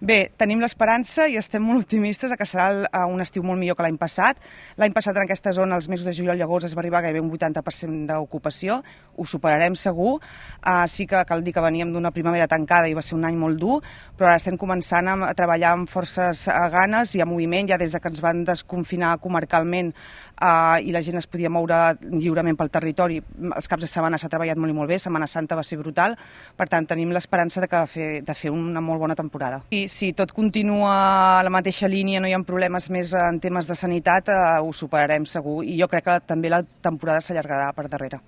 Bé, tenim l'esperança i estem molt optimistes que serà un estiu molt millor que l'any passat. L'any passat en aquesta zona, els mesos de juliol i agost, es va arribar a gairebé un 80% d'ocupació. Ho superarem segur. Sí que cal dir que veníem d'una primavera tancada i va ser un any molt dur, però ara estem començant a treballar amb forces ganes i a moviment, ja des que ens van desconfinar comarcalment i la gent es podia moure lliurement pel territori. Els caps de setmana s'ha treballat molt i molt bé, Setmana Santa va ser brutal, per tant tenim l'esperança de fer una molt bona temporada. I si tot continua a la mateixa línia, no hi ha problemes més en temes de sanitat, ho superarem segur, i jo crec que també la temporada s'allargarà per darrere.